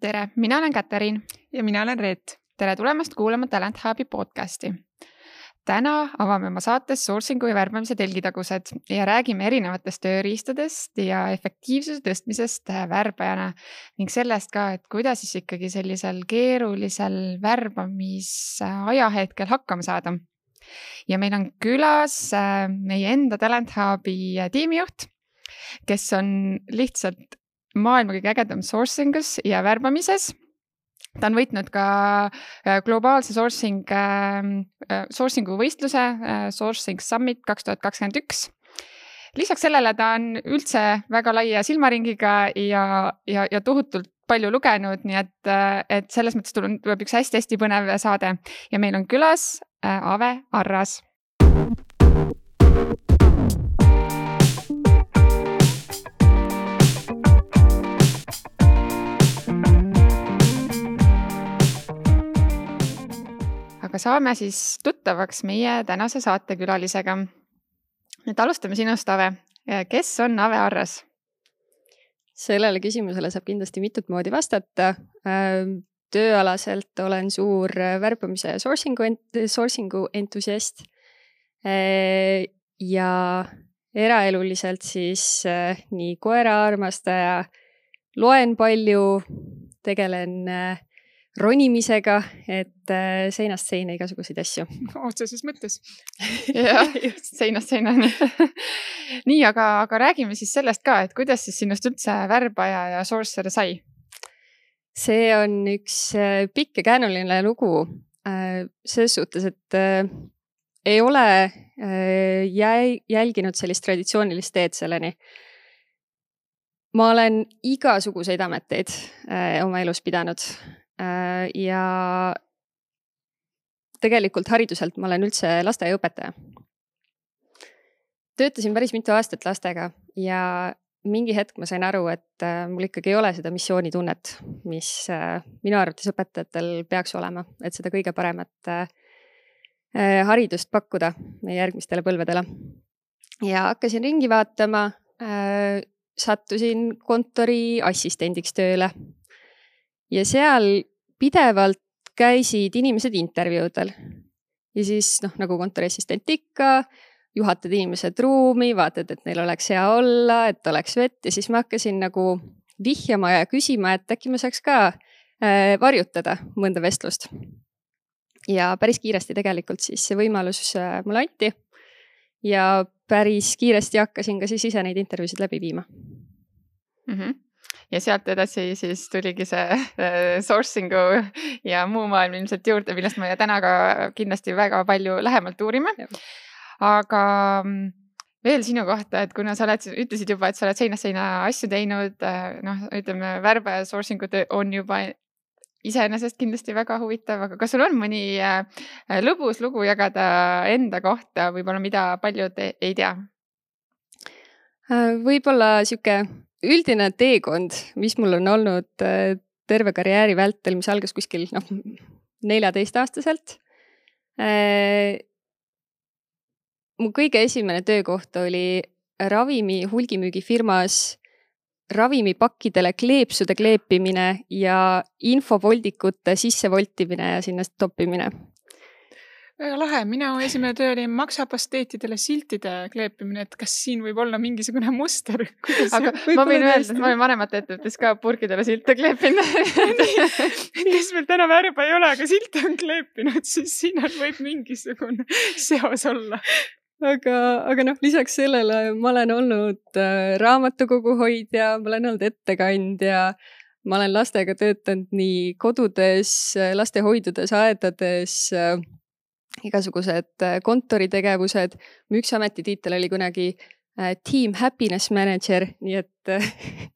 Tere, mina olen Katariin. Ja mina olen Reet. Tere tulemast kuulama Talent Hubi podcasti. Täna avame oma saates sourcingu ja värbamise telgitagused ja räägime erinevatest tööriistadest ja efektiivsuse tõstmisest värbajana ning sellest ka, et kuidas siis ikkagi sellisel keerulisel värbamisajahetkel hakkama saada. Ja meil on külas meie enda Talent Hubi tiimijuht, kes on lihtsalt maailma kõige ägedam sourcingus ja värbamises. Ta on võitnud ka globaalse sourcingu võistluse Sourcing Summit 2021. Lisaks sellele ta on üldse väga laia silmaringiga ja tohutult palju lugenud, nii et selles mõttes tuleb üks hästi põnev saade. Ja meil on külas Ave Arras. Aga saame siis tuttavaks meie tänase saatekülalisega. Nüüd alustame sinust, Ave. Kes on Ave Arras? Sellele küsimusele saab kindlasti mitut moodi vastata. Tööalaselt olen suur värbamise ja sourcingu entusiast. Ja eraeluliselt siis nii koera armastaja, loen palju, tegelen ronimisega, et seinast seina igasuguseid asju. Otseses mõttes. Jah, seinast seina. Nii, aga räägime siis sellest ka, et kuidas siis sinust üldse värbaja ja sourcer sai? See on üks pikk ja käänuline lugu. Selles suhtes, et ei ole jälginud sellist traditsioonilist teed selleni. Ma olen igasuguseid ameteid oma elus pidanud. Ja tegelikult hariduselt ma olen üldse lasteaiaõpetaja. Töötasin päris mitu aastat lastega ja mingi hetk ma sain aru, et mul ikkagi ei ole seda missioonitunnet, mis minu arvates õpetajatel peaks olema, et seda kõige paremat haridust pakkuda järgmistele põlvedele. Ja hakkasin ringi vaatama, sattusin kontori assistendiks tööle. Ja seal pidevalt käisid inimesed intervjuudel. Ja siis, nagu kontoriassistent ikka, juhatad inimesed ruumi, vaatad, et neil oleks hea olla, et oleks vett. Ja siis ma hakkasin nagu vihjama ja küsima, et äkki ma saaks ka varjutada mõnda vestlust. Ja päris kiiresti tegelikult siis see võimalus mulle anti. Ja päris kiiresti hakkasin ka siis ise neid intervjuusid läbi viima. Ja sealt edasi siis tuligi see sourcingu ja muu maailm ilmselt juurde, millest me täna ka kindlasti väga palju lähemalt uurime. Aga veel sinu kohta, et kuna sa ütlesid juba, et sa oled seinast seina asju teinud, ütleme, värbe ja sourcingu töö on juba iseenesest kindlasti väga huvitav, aga kas sul on mõni lõbus lugu jagada enda kohta, võib-olla mida paljud ei tea? Võib-olla siuke üldine teekond, mis mul on olnud terve karjääri vältel, mis algas kuskil 14-aastaselt. Mu kõige esimene töökoht oli ravimi hulgimüügifirmas ravimipakkidele kleepsude kleepimine ja infovoldikute sissevoltimine ja sinna toppimine. Väga lahe. Minu esimene töö oli maksapasteetidele siltide kleepimine, et kas siin võib olla mingisugune muster. Aga ma võin öelda, et ma olen vanemate ettevõttes ka purgidele silte kleepinud. Kes meil täna värba ei ole, aga silte on kleepinud, siis siin võib mingisugune seos olla. Aga lisaks sellele ma olen olnud raamatukogu hoidja, ma olen olnud ettekandja, ma olen lastega töötanud nii kodudes, lastehoidudes, aedades, igasugused kontoritegevused. Mu üks ametitiitel oli kunagi Team Happiness Manager, nii et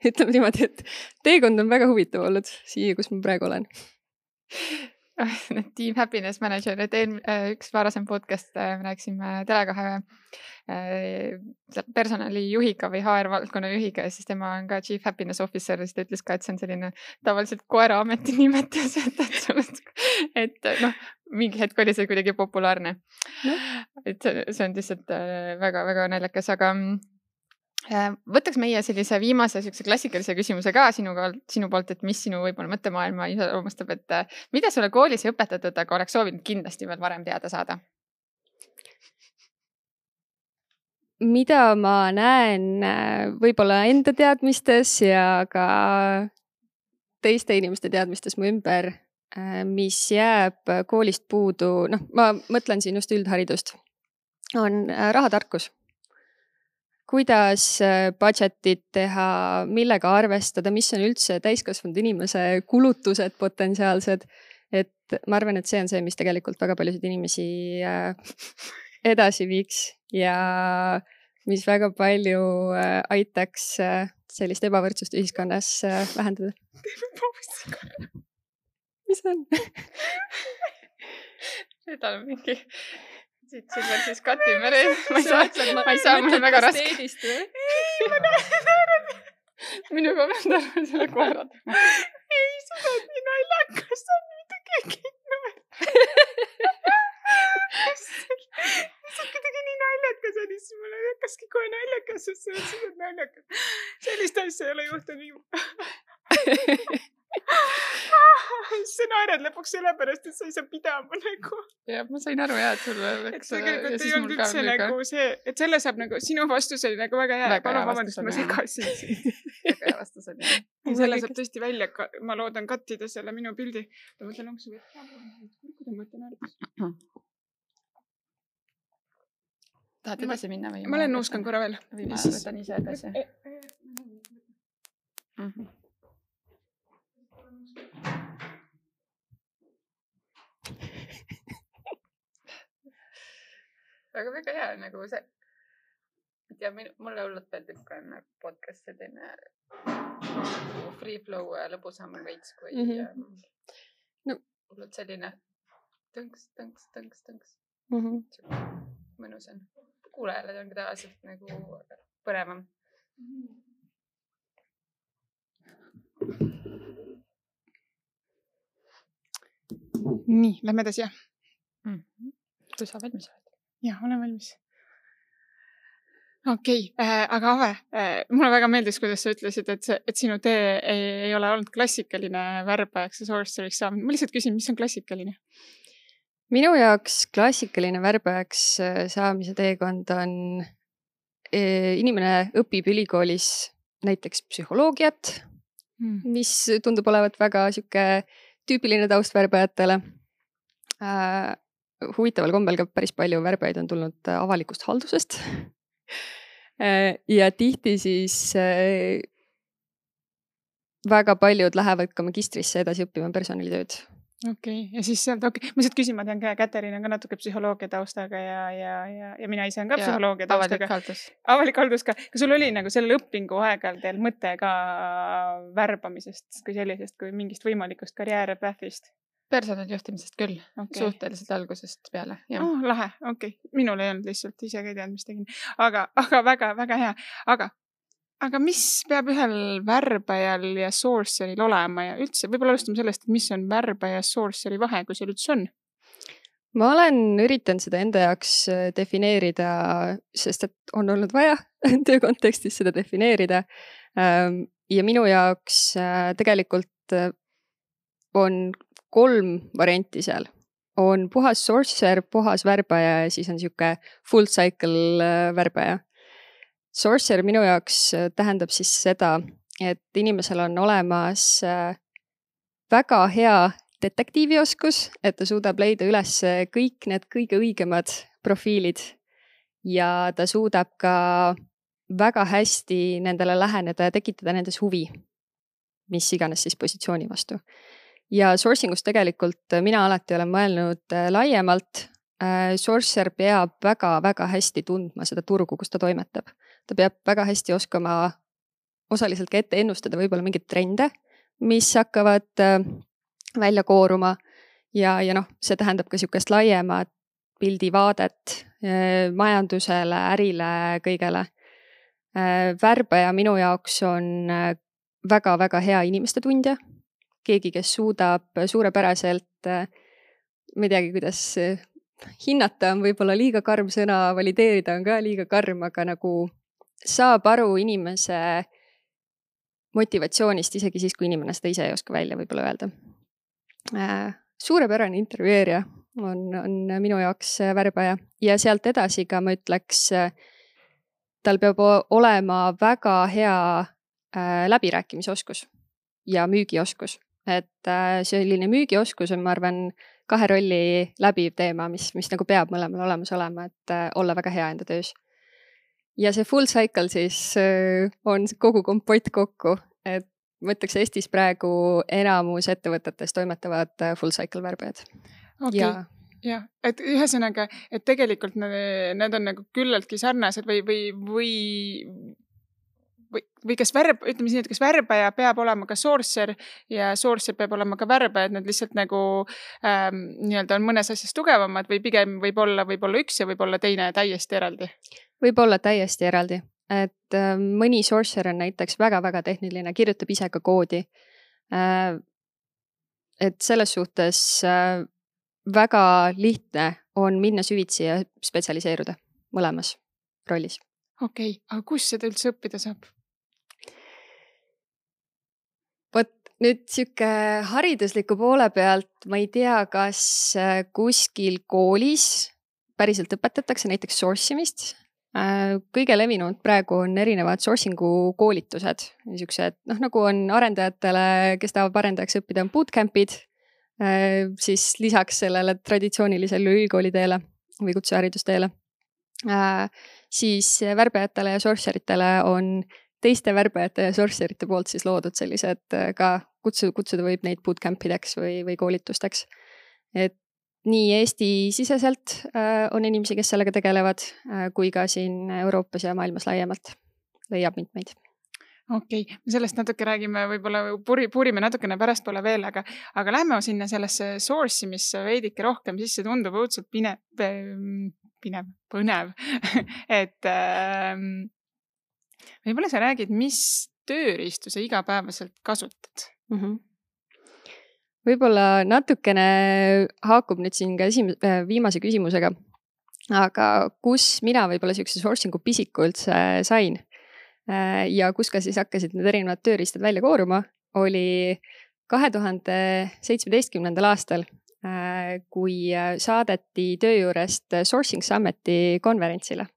ütleme niimoodi, et teekond on väga huvitav olnud siia, kus ma praegu olen. Team Happiness Manager, et üks varasem podcast rääksime Tele2 personalijuhiga või HR-valdkonna juhiga ja siis tema on ka Chief Happiness Officer ja siis ta ütles ka, et see on selline tavaliselt koera ameti nimetus, et mingi hetk oli see kuidagi populaarne. Et see on lihtsalt väga-väga naljakas, aga Võtaks meie sellise viimase sellise klassikalise küsimuse ka sinu poolt, et mis sinu võib-olla mõttemaailma iseloomustab, et mida sulle koolis ei õpetatud, aga oleks soovinud kindlasti veel varem teada saada? Mida ma näen võib-olla enda teadmistes ja ka teiste inimeste teadmistes mu ümber, mis jääb koolist puudu, ma mõtlen siin just üldharidust, on rahatarkus. Kuidas budgetit teha, millega arvestada, mis on üldse täiskasvanud inimese kulutused potentsiaalsed. Et ma arvan, et see on see, mis tegelikult väga paljusid inimesi edasi viiks ja mis väga palju aitaks sellist ebavõrdsust ühiskonnas vähendada. Mis on? Seda on mingi... Siit veel siis katime. Ma ei saa, mul on väga raske. Ei, ma näen. Minuga pean tarva selle koerad. Ei, seda on nii naljakas, see on mitte keegi number. See on kuidagi nii naljakas, siis mulle hakkaski kohe naljakas, sest see on seda naljakas. Sellist asja ei ole juhtunud. Sa naered lõpuks sellepärast, et sa ei saa pidama nagu. Ja ma sain aru et sulle läks. Tegelikult ei olnud üldse nagu see, et selle saab nagu, sinu vastus oli nagu väga hea. Palun vabandust, ma segasin sind. Väga hea vastus oli. Selle saab tõesti välja, ma loodan kattida selle minu pildi. Ma mõtlen, onks või, kuidas ma mõtlen ära. Tahad edasi minna või? Ma olen nuuskan korra veel. Või ma võtan ise edasi. Aga väga hea nagu see. Ja mulle hullult meeldib ka podcast selline free flow lõbusam veits kui hullult selline tõnks. Mõnus on. Kuulajale on ka tavaliselt nagu põnevam. Nii, lähme edasi, jah. Kui sa valmis oled? Jah, olen valmis. Okei, aga Ave, mulle väga meeldis, kuidas sa ütlesid, et sinu tee ei ole olnud klassikaline värbajaks ja sorcereriks saamine. Ma lihtsalt küsin, mis on klassikaline? Minu jaoks klassikaline värbajaks saamise teekond on inimene õpib ülikoolis näiteks psühholoogiat, mis tundub olevat väga siuke tüüpiline taust värbajatele. Huvitaval kombel ka päris palju värbajaid on tulnud avalikust haldusest. Ja tihti siis väga paljud lähevad ka magistrisse edasi õppima personalitööd. Okei, ja siis sealt, ma lihtsalt küsin, ma tean ka, Käterin on ka natuke psühholoogia taustaga ja mina ise on ka psühholoogia taustaga. Avalik haldus ka. Kas sul oli nagu sellel õpingu aegal teil mõte ka värbamisest kui sellisest, kui mingist võimalikust karjäärepähvist? Personalijuhtimisest küll, suhteliselt algusest peale. Lahe, okei. Minul ei olnud lihtsalt, ise ka ei teadnud, mis tegin. Aga väga, väga hea. Aga mis peab ühel värbajal ja sorceril olema ja üldse, võib-olla alustame sellest, et mis on värbaja ja sorceri vahe, kui see üldse on? Ma olen üritanud seda enda jaoks defineerida, sest et on olnud vaja töö kontekstis seda defineerida. Ja minu jaoks tegelikult on 3 varianti seal. On puhas sorcerer, puhas värbaja ja siis on siuke full cycle värbaja. Sorcerer minu jaoks tähendab siis seda, et inimesel on olemas väga hea detektiivioskus, et ta suudab leida üles kõik need kõige õigemad profiilid ja ta suudab ka väga hästi nendele läheneda ja tekitada nendes huvi, mis iganes siis positsiooni vastu. Ja sourcingust tegelikult mina alati olen mõelnud laiemalt. Sorcerer peab väga hästi tundma seda turgu, kus ta toimetab. Ta peab väga hästi oskama osaliselt ka ette ennustada võib-olla mingid trende, mis hakkavad välja kooruma ja see tähendab ka siukest laiemat pildivaadet majandusele, ärile, kõigele. Värbaja minu jaoks on väga hea inimeste tundja. Keegi, kes suudab suurepäraselt, ma ei teagi, kuidas hinnata on võib-olla liiga karm sõna, valideerida on ka liiga karm, aga nagu saab aru inimese motivatsioonist isegi siis, kui inimene seda ise ei oska välja võib-olla öelda. Suurepärane intervjueerija on minu jaoks värbaja ja sealt edasi ka ma ütleks, tal peab olema väga hea läbirääkimisoskus ja müügioskus. Et selline müügioskus on, ma arvan, 2 rolli läbiv teema, mis nagu peab mõlemal olemas olema, et olla väga hea enda töös. Ja see full cycle siis on kogu kompott kokku, et ma ütleks, Eestis praegu enamus ettevõtetes toimetavad full cycle värbajad. Okay. Jah, et ühesõnaga, et tegelikult need on nagu küllaltki sarnased või kas ütleme siin, et kas värbaja peab olema ka sourcer ja sourcer peab olema ka värbaja, et nad lihtsalt nagu nii-öelda on mõnes asjas tugevamad või pigem võib olla üks ja võib olla teine täiesti eraldi? Võib olla täiesti eraldi, et mõni sourcer on näiteks väga-väga tehniline, kirjutab ise ka koodi. Et selles suhtes väga lihtne on minna süvitsi ja spetsialiseeruda mõlemas rollis. Okei, aga kus seda üldse õppida saab? Vot nüüd siuke haridusliku poole pealt ma ei tea, kas kuskil koolis päriselt õpetatakse näiteks sourcimist. Kõige levinud praegu on erinevad sourcingu koolitused. Niisugused, nagu on arendajatele, kes tahavad arendajaks õppida, on bootcampid, siis lisaks sellele traditsioonilisele ülikooliteele või kutseharidusteele. Siis värbajatele ja sourceritele on teiste värbajate ja sourcerite poolt siis loodud sellised ka kutsuda võib neid bootcampideks või koolitusteks. Et nii Eesti siseselt on inimesi, kes sellega tegelevad, kui ka siin Euroopas ja maailmas laiemalt leiab mitmeid. Okei, sellest natuke räägime, võib-olla puurime natukene pärastpoole veel, aga lähme sinna sellesse sourcimisse veidike rohkem, siis see tundub õudselt põnev. Et võib-olla sa räägid, mis tööriistu sa igapäevaselt kasutad? Võib-olla natukene haakub nüüd siin ka viimase küsimusega, aga kus mina võib-olla siukse sourcingu pisiku üldse sain ja kus ka siis hakkasid need erinevad tööriistad välja kooruma, oli 2017. aastal, kui saadeti töö juurest Sourcing Summiti konverentsile.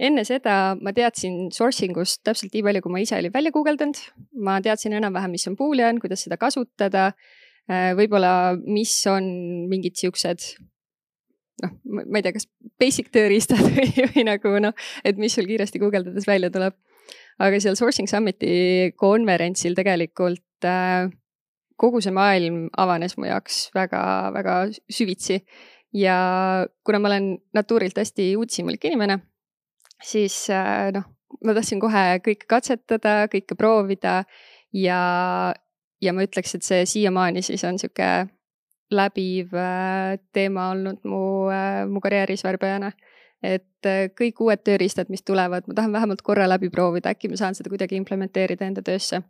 Enne seda ma teadsin sourcingust täpselt nii palju, kui ma ise olin välja guugeldanud. Ma teadsin enam-vähem, mis on Boolean, kuidas seda kasutada, võib-olla mis on mingid siuksed, ma ei tea, kas basic tööriistad või nagu, et mis sul kiiresti guugeldades välja tuleb. Aga seal Sourcing Summiti konverentsil tegelikult kogu see maailm avanes mu jaoks väga-väga süvitsi. Ja kuna ma olen natuurilt hästi uudishimulik inimene, siis ma tahtsin kohe kõike katsetada, kõike proovida ja ma ütleks, et see siiamaani siis on siuke läbiv teema olnud mu karjääris värbajana. Et kõik uued tööriistad, mis tulevad, ma tahan vähemalt korra läbi proovida, äkki ma saan seda kuidagi implementeerida enda töösse.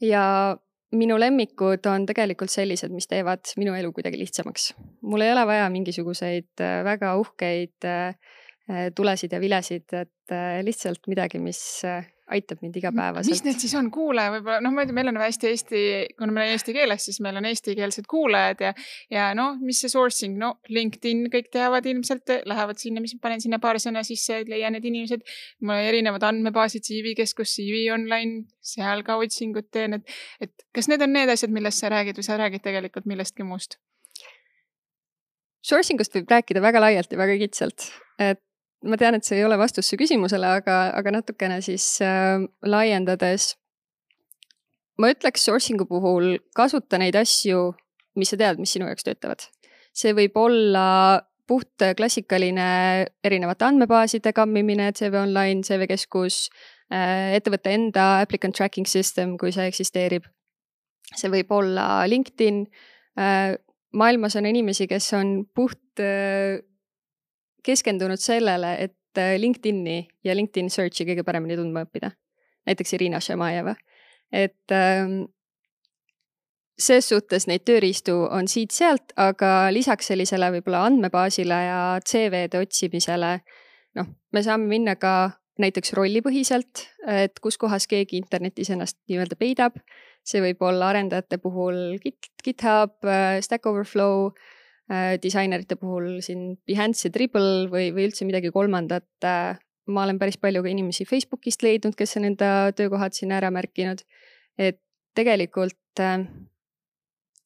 Ja minu lemmikud on tegelikult sellised, mis teevad minu elu kuidagi lihtsamaks. Mul ei ole vaja mingisuguseid väga uhkeid tulesid ja vilesid, et lihtsalt midagi, mis aitab mind igapäevaselt. Mis need siis on kuulaja võib-olla? Ma ei tea, meil on hästi kuna meil on eesti keeles, siis meil on eestikeelsed kuulajad ja mis see sourcing, LinkedIn, kõik teavad ilmselt, lähevad sinna, mis panen sinna paar sõna sisse, leian need inimesed, mul on erinevad andmebaasid, CV-keskus, CV online, seal ka otsingut teen, et kas need on need asjad, millest sa räägid või sa räägid tegelikult millestki muust? Sourcingust võib rääkida väga laialt ja väga kitsalt, et ma tean, et see ei ole vastus su küsimusele, aga natukene siis laiendades. Ma ütleks sourcingu puhul kasuta neid asju, mis sa tead, mis sinu jaoks töötavad. See võib olla puht klassikaline erinevate andmebaaside kammimine, CV Online, CV-keskus, ettevõtte enda applicant tracking system, kui see eksisteerib. See võib olla LinkedIn. Maailmas on inimesi, kes on puht keskendunud sellele, et LinkedIni ja LinkedIn searchi kõige paremini tundma õppida. Näiteks Irina Šemajeva. Et ses suhtes neid tööriistu on siit-sealt, aga lisaks sellisele võib-olla andmebaasile ja CV-de otsimisele, me saame minna ka näiteks rollipõhiselt, et kus kohas keegi internetis ennast nii-öelda peidab. See võib olla arendajate puhul GitHub, Stack Overflow, disainerite puhul siin Behance ja Dribble või üldse midagi kolmandat. Ma olen päris palju ka inimesi Facebookist leidnud, kes on enda töökohad siin ära märkinud. Et tegelikult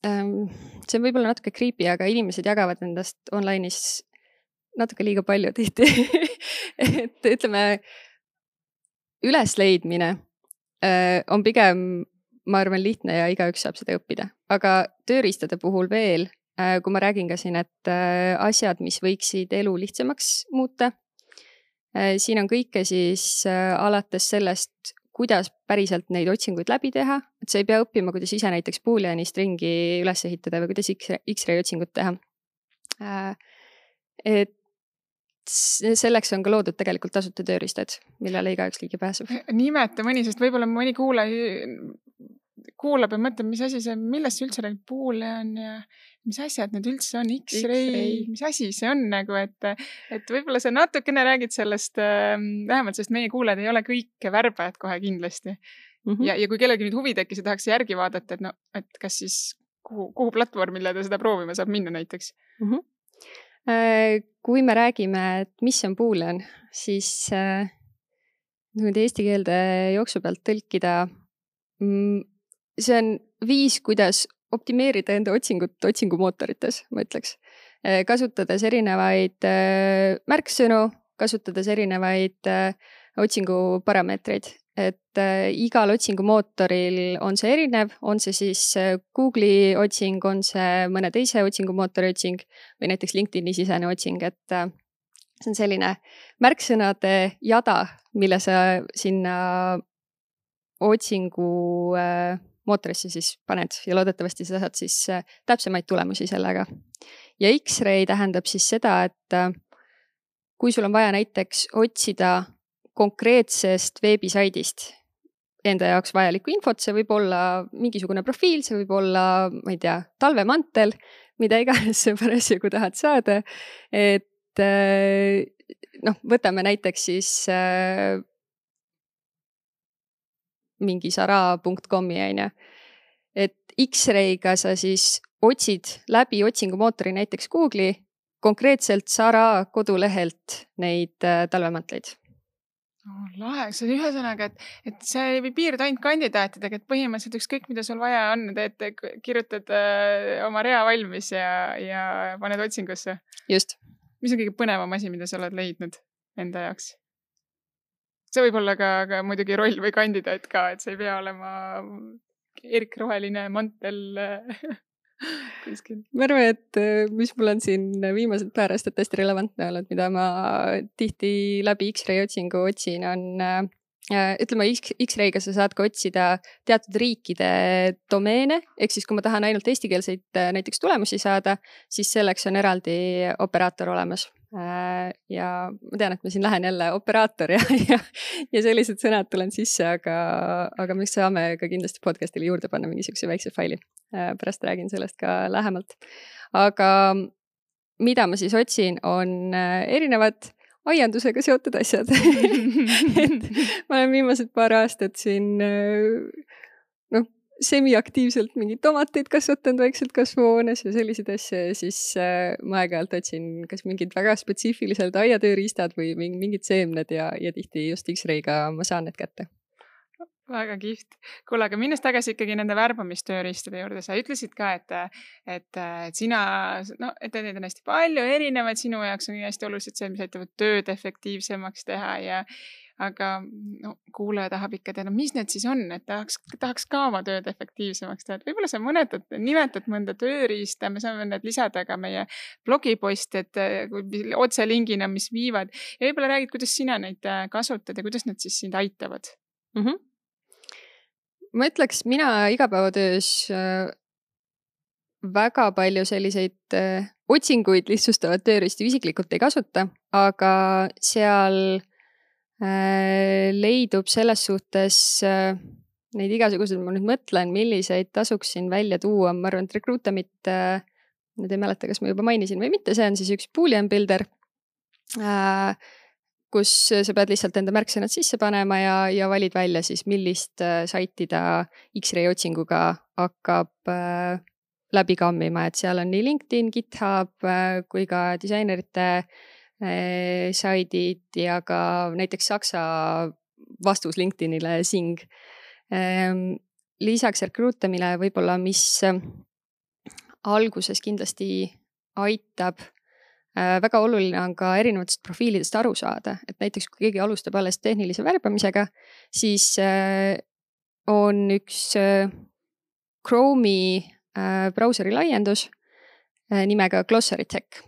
see on võib-olla natuke creepy, aga inimesed jagavad endast online'is natuke liiga palju tihti. Et ütleme, ülesleidmine on pigem, ma arvan, lihtne ja igaüks saab seda õppida. Aga tööriistade puhul veel, kui ma räägin ka siin, et asjad, mis võiksid elu lihtsamaks muuta, siin on kõike siis alates sellest, kuidas päriselt neid otsinguid läbi teha, et sa ei pea õppima, kuidas ise näiteks Booleani stringi üles ehitada või kuidas X-ray otsingut teha. Et selleks on ka loodud tegelikult tasuta tööriistad, millele igaüks ligi pääseb. Nimeta mõni, sest võib-olla mõni kuulab ja mõtleb, mis asi see, millest see üldse räägib Boolean ja mis asjad need üldse on, X-ray, mis asi see on nagu, et võib-olla sa natukene räägid sellest, vähemalt sest meie kuulajad ei ole kõik värbajad kohe kindlasti. Ja kui kellelgi nüüd huvi tekkis ja tahaks järgi vaadata, et kas siis kuhu platvormile ta seda proovima saab minna näiteks? Kui me räägime, et mis on Boolean, siis eesti keelde jooksu pealt tõlkida, see on viis, kuidas optimeerida enda otsingut otsingumootorites, ma ütleks. Kasutades erinevaid märksõnu, kasutades erinevaid otsinguparameetreid. Et igal otsingumootoril on see erinev, on see siis Google'i otsing, on see mõne teise otsingumootori otsing või näiteks LinkedIni sisene otsing, et see on selline märksõnade jada, mille sa sinna otsingu mootorisse siis paned ja loodetavasti sa saad siis täpsemaid tulemusi sellega. Ja X-ray tähendab siis seda, et kui sul on vaja näiteks otsida konkreetsest veebisaidist enda jaoks vajalikku infot, see võib olla mingisugune profiil, see võib olla, ma ei tea, talvemantel, mida iganes sa parasjagu tahad saada. Et võtame näiteks siis mingi sara.com-i, et X-ray'ga sa siis otsid läbi otsingumootori näiteks Google'i konkreetselt Sara kodulehelt neid talvemantleid. Lahe, see on ühesõnaga, et see ei piirdu ainult kandidaatidega, et põhimõtteliselt ükskõik, mida sul vaja on, et kirjutad oma rea valmis ja paned otsingusse. Just. Mis on kõige põnevam asi, mida sa oled leidnud enda jaoks? See võib olla ka muidugi roll või kandidaat ka, et see ei pea olema erkroheline mantel kuskil. Ma arvan, et mis mul on siin viimased paar aastat hästi relevantne olnud, mida ma tihti läbi X-ray otsingu otsin, on ütleme, X-ray'ga sa saad ka otsida teatud riikide domeene, ehk siis kui ma tahan ainult eestikeelseid näiteks tulemusi saada, siis selleks on eraldi operaator olemas. Ja ma tean, et ma siin lähen jälle operaator ja sellised sõnad tulen sisse, aga me saame ka kindlasti podcastile juurde panna mingisuguse väikse faili. Pärast räägin sellest ka lähemalt. Aga mida ma siis otsin, on erinevad aiandusega seotud asjad. Et ma olen viimased paar aastat siin semiaktiivselt mingeid tomateid kasvatanud vaikselt kasvuhoones ja selliseid asju ja siis ma aeg-ajalt otsin kas mingid väga spetsiifilised aiatööriistad või mingid seemned ja tihti just X-ray'ga ma saan need kätte. Väga kihvt. Kuule, aga minnes tagasi ikkagi nende värbamistööriistade juurde, sa ütlesid ka, et sina, et neid on hästi palju erinevaid, sinu jaoks on hästi oluliselt see, mis aitavad tööd efektiivsemaks teha aga kuulaja tahab ikka teada, mis need siis on, et tahaks ka oma tööd efektiivsemaks teha. Võib-olla sa nimetad mõnda tööriista, me saame need lisada ka meie blogiposti, et otse lingina, mis viivad. Ja võib-olla räägid, kuidas sina neid kasutad ja kuidas need siis sind aitavad? Ma ütleks, mina igapäevatöös väga palju selliseid otsinguid lihtsustavad tööriistu isiklikult ei kasuta, aga seal leidub selles suhtes neid igasuguseid, ma nüüd mõtlen, milliseid tasuks siin välja tuua. Ma arvan, et Recruitamit, nüüd ei mäleta, kas ma juba mainisin või mitte, see on siis üks Boolean builder, kus sa pead lihtsalt enda märksõnad sisse panema ja valid välja siis, millist saiti ta X-ray otsinguga hakkab läbi kammima, et seal on nii LinkedIn, GitHub kui ka disainerite saidid ja ka näiteks saksa vastus LinkedInile Sing. Lisaks rekruutamine võib-olla, mis alguses kindlasti aitab, väga oluline on ka erinevatest profiilidest aru saada, et näiteks kui keegi alustab alles tehnilise värbamisega, siis on üks Chrome'i brauseri laiendus nimega Glossary Tech,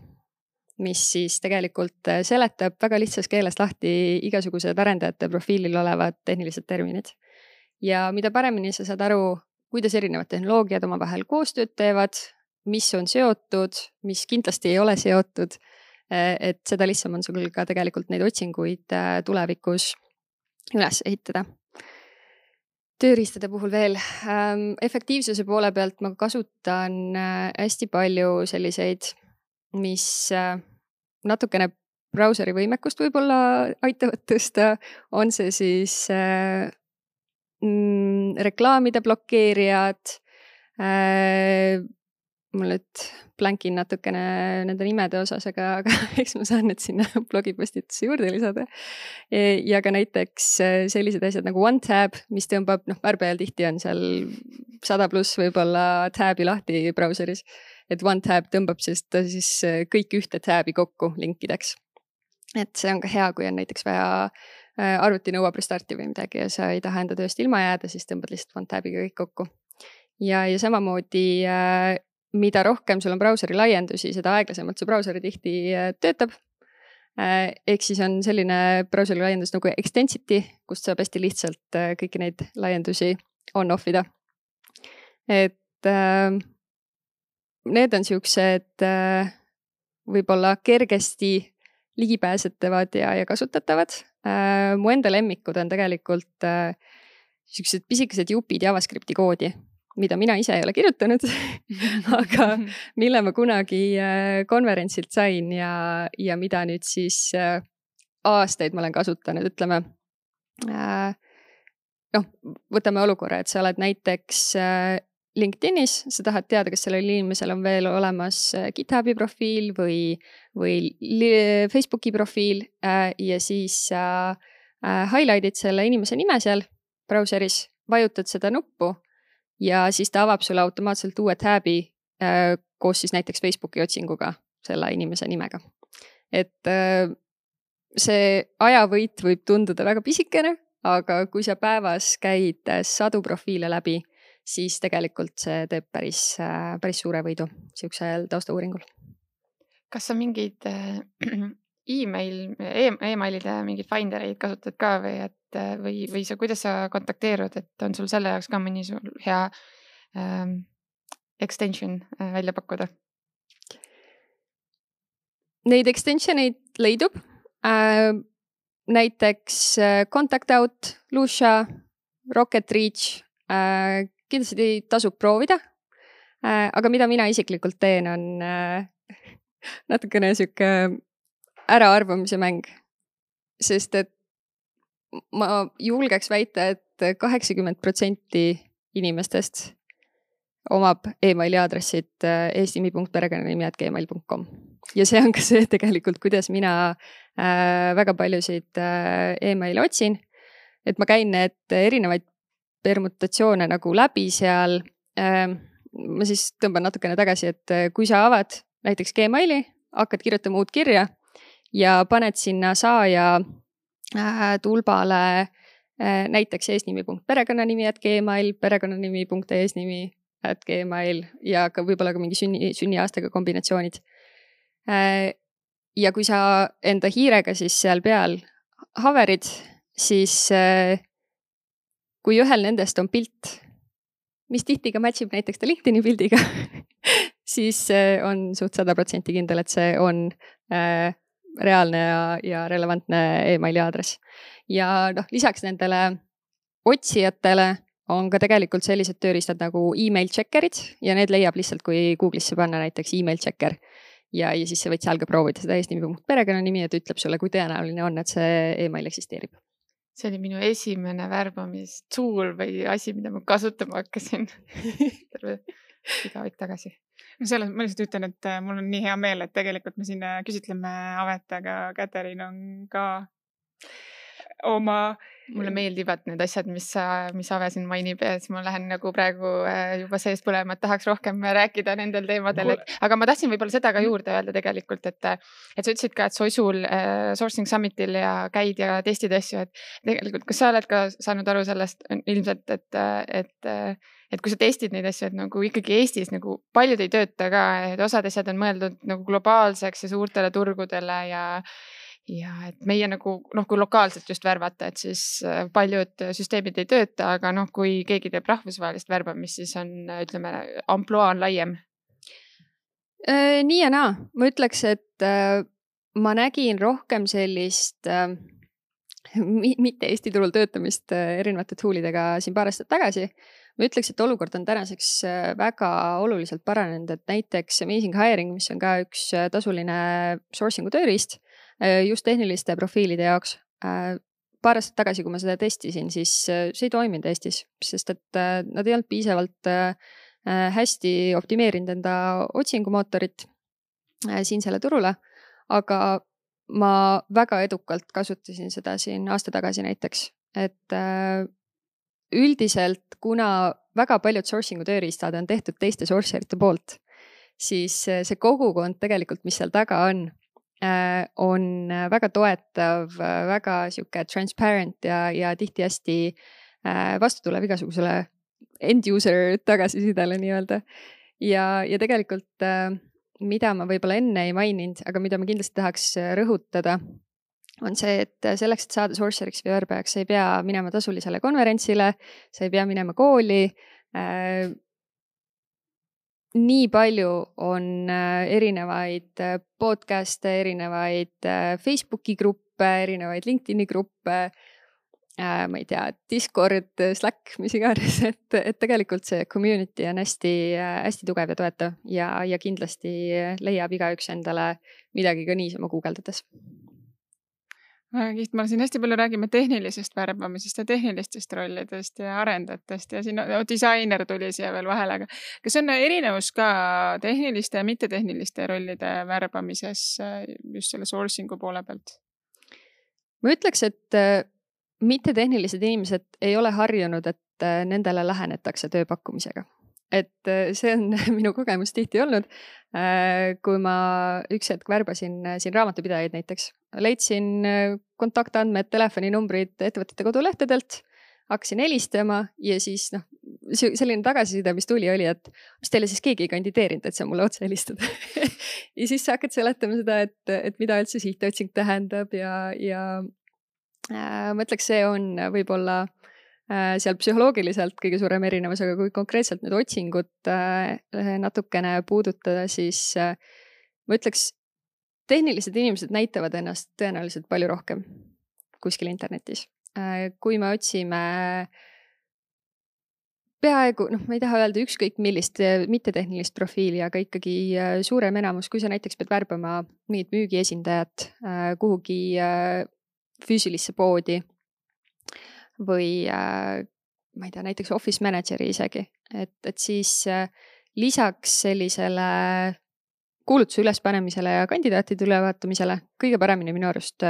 mis siis tegelikult seletab väga lihtsas keeles lahti igasugused arendajate profiilil olevad tehnilised terminid. Ja mida paremini sa saad aru, kuidas erinevad tehnoloogiad omavahel koostööd teevad, mis on seotud, mis kindlasti ei ole seotud, et seda lihtsam on sul ka tegelikult neid otsinguid tulevikus üles ehitada. Tööriistade puhul veel. Efektiivsuse poole pealt ma kasutan hästi palju selliseid, mis natukene brauseri võimekust võib-olla aitavad tõsta, on see siis reklaamide blokeerijad, mul nüüd plänkin natukene nende nimede osas, aga eks ma saan need sinna blogipostitusse juurde lisada. Ja ka näiteks sellised asjad nagu OneTab, mis tõmbab, värbajal tihti on seal 100+ võib-olla tabi lahti brauseris, et OneTab tõmbab siis kõik ühte tabi kokku linkideks. Et see on ka hea, kui on näiteks vaja arvuti nõuab restarti või midagi ja sa ei taha enda tööst ilma jääda, siis tõmbad lihtsalt OneTabiga kõik kokku. Ja samamoodi mida rohkem sul on brauseri laiendusi, seda aeglasemalt su brauseri tihti töötab. Ehk siis on selline brauseri laiendus nagu Extensity, kust saab hästi lihtsalt kõiki neid laiendusi on-offida. Et need on siuksed võib-olla kergesti ligipääsetavad ja kasutatavad. Mu enda lemmikud on tegelikult siuksed pisikesed jupid JavaScripti koodi, mida mina ise ei ole kirjutanud, aga mille ma kunagi konverentsilt sain ja mida nüüd siis aastaid ma olen kasutanud, ütleme. Võtame olukorra, et sa oled näiteks LinkedInis, sa tahad teada, kas sellel inimesel on veel olemas GitHubi profiil või Facebooki profiil ja siis sa highlight'id selle inimese nime seal brauseris, vajutad seda nuppu ja siis ta avab sulle automaatselt uue tabi koos siis näiteks Facebooki otsinguga selle inimese nimega. Et see ajavõit võib tunduda väga pisikene, aga kui sa päevas käid 100 profiile läbi, siis tegelikult see teeb päris suure võidu siuksel taustauuringul. Kas sa mingid e-mailide mingeid findereid kasutad ka või sa, kuidas sa kontakteerud, et on sul selle jaoks ka mõni sul hea extension välja pakkuda? Neid extensioneid leidub. Näiteks Contact Out, Lucia, Rocket Reach, kindlasti tasub proovida. Aga mida mina isiklikult teen, on natukene siuke äraarvamise mäng. Sest et ma julgeks väita, et 80% inimestest omab emaili aadressid eestimi.perekonnanimi@gmail.com. Ja see on ka see tegelikult, kuidas mina väga paljusid emaili otsin. Et ma käin need erinevaid permutatsioone nagu läbi seal. Ma siis tõmban natukene tagasi, et kui sa avad näiteks Gmaili, hakkad kirjutama uut kirja ja paned sinna saaja tulbale näiteks eesnimi.perekonnanimi@gmail, perekonnanimi.eesnimi@gmail ja ka võib-olla ka mingi sünniaastaga kombinatsioonid. Ja kui sa enda hiirega siis seal peal haverid, siis kui ühel nendest on pilt, mis tihti ka matchib näiteks ta LinkedIni pildiga, siis on suht 100% kindel, et see on reaalne ja relevantne emaili aadress. Ja lisaks nendele otsijatele on ka tegelikult sellised tööriistad nagu email checkerid ja need leiab lihtsalt, kui Google'isse panna näiteks email checker. ja siis sa võid seal ka proovida seda eesnimi.perekonnanimi, et ütleb sulle, kui tõenäoline on, et see email eksisteerib. See oli minu esimene värbamistool või asi, mida ma kasutama hakkasin terve igaük tagasi. Selles ma lihtsalt ütlen, et mul on nii hea meel, et tegelikult me siin küsitleme Avet, aga Katariin on ka oma... Mulle meeldivad need asjad, mis Ave siin mainib ja siis ma lähen nagu praegu juba seest põlema, et tahaks rohkem rääkida nendel teemadel. Aga ma tahtsin võib-olla seda ka juurde öelda tegelikult, et sa ütlesid ka, et Sosul Sourcing Summitil ja käid ja testid asju, et tegelikult kas sa oled ka saanud aru sellest ilmselt, et kui sa testid neid asju, et nagu ikkagi Eestis nagu paljud ei tööta ka, et osad asjad on mõeldud nagu globaalseks ja suurtele turgudele ja et meie nagu, kui lokaalselt just värvata, et siis paljud süsteemid ei tööta, aga kui keegi teeb rahvusvahelist värbamist, siis on, ütleme, ampluaa on laiem. Nii ja naa. Ma ütleks, et ma nägin rohkem sellist mitte Eesti turul töötamist erinevate toolidega siin paar aastat tagasi. Ma ütleks, et olukord on tänaseks väga oluliselt paranenud, et näiteks Amazing Hiring, mis on ka üks tasuline sourcing'u tööriist, just tehniliste profiilide jaoks. Paar aastat tagasi, kui ma seda testisin, siis see ei toiminud Eestis, sest et nad ei olnud piisavalt hästi optimeerinud enda otsingumootorit siinsele turule, aga ma väga edukalt kasutasin seda siin aasta tagasi näiteks, et üldiselt, kuna väga paljud sourcing'u tööriistad on tehtud teiste sourcerite poolt, siis see kogukond tegelikult, mis seal taga on väga toetav, väga sihuke transparent ja tihti hästi vastu tulev igasugusele end-user tagasisidele nii-öelda. Ja tegelikult, mida ma võib-olla enne ei maininud, aga mida ma kindlasti tahaks rõhutada, on see, et selleks, et saada sourceriks või värbajaks, sa ei pea minema tasulisele konverentsile, sa ei pea minema kooli. Nii palju on erinevaid podcast'e, erinevaid Facebooki gruppe, erinevaid LinkedIni gruppe, ma ei tea, Discord, Slack, mis iganes, et tegelikult see community on hästi tugev ja toetav ja kindlasti leiab igaüks endale midagi ka niisama guugeldades. Kiht, ma siin hästi palju räägime tehnilisest värbamisest ja tehnilistest rollidest ja arendajatest ja siin disainer tuli siia veel vahele, aga kas on erinevus ka tehniliste ja mittetehniliste rollide värbamises just selle sourcing'u poole pealt? Ma ütleks, et mittetehnilised inimesed ei ole harjunud, et nendele lähenetakse tööpakkumisega. Et see on minu kogemus tihti olnud, kui ma üks hetk värbasin siin raamatupidajaid näiteks. Leidsin kontaktandmed, telefoninumbrid ettevõtete kodulehtedelt, hakkasin helistama ja siis selline tagasiside, mis tuli, oli, et mis teile siis keegi ei kandideerinud, et sa mulle otse helistad. Ja siis sa hakkad seletama seda, et mida üldse sihtotsing tähendab ja ma ütleks, see on võib-olla seal psühholoogiliselt kõige suurem erinevus, aga kui konkreetselt nüüd otsingut natukene puudutada, siis ma ütleks, tehnilised inimesed näitavad ennast tõenäoliselt palju rohkem kuskil internetis. Kui me otsime peaaegu, ma ei taha öelda ükskõik millist mittetehnilist profiili, aga ikkagi suurem enamus, kui sa näiteks pead värbama mingit müügiesindajat kuhugi füüsilisse poodi või ma ei tea, näiteks office manageri isegi, et siis lisaks sellisele kuulutuse ülespanemisele ja kandidaatide ülevaatamisele kõige paremini minu arust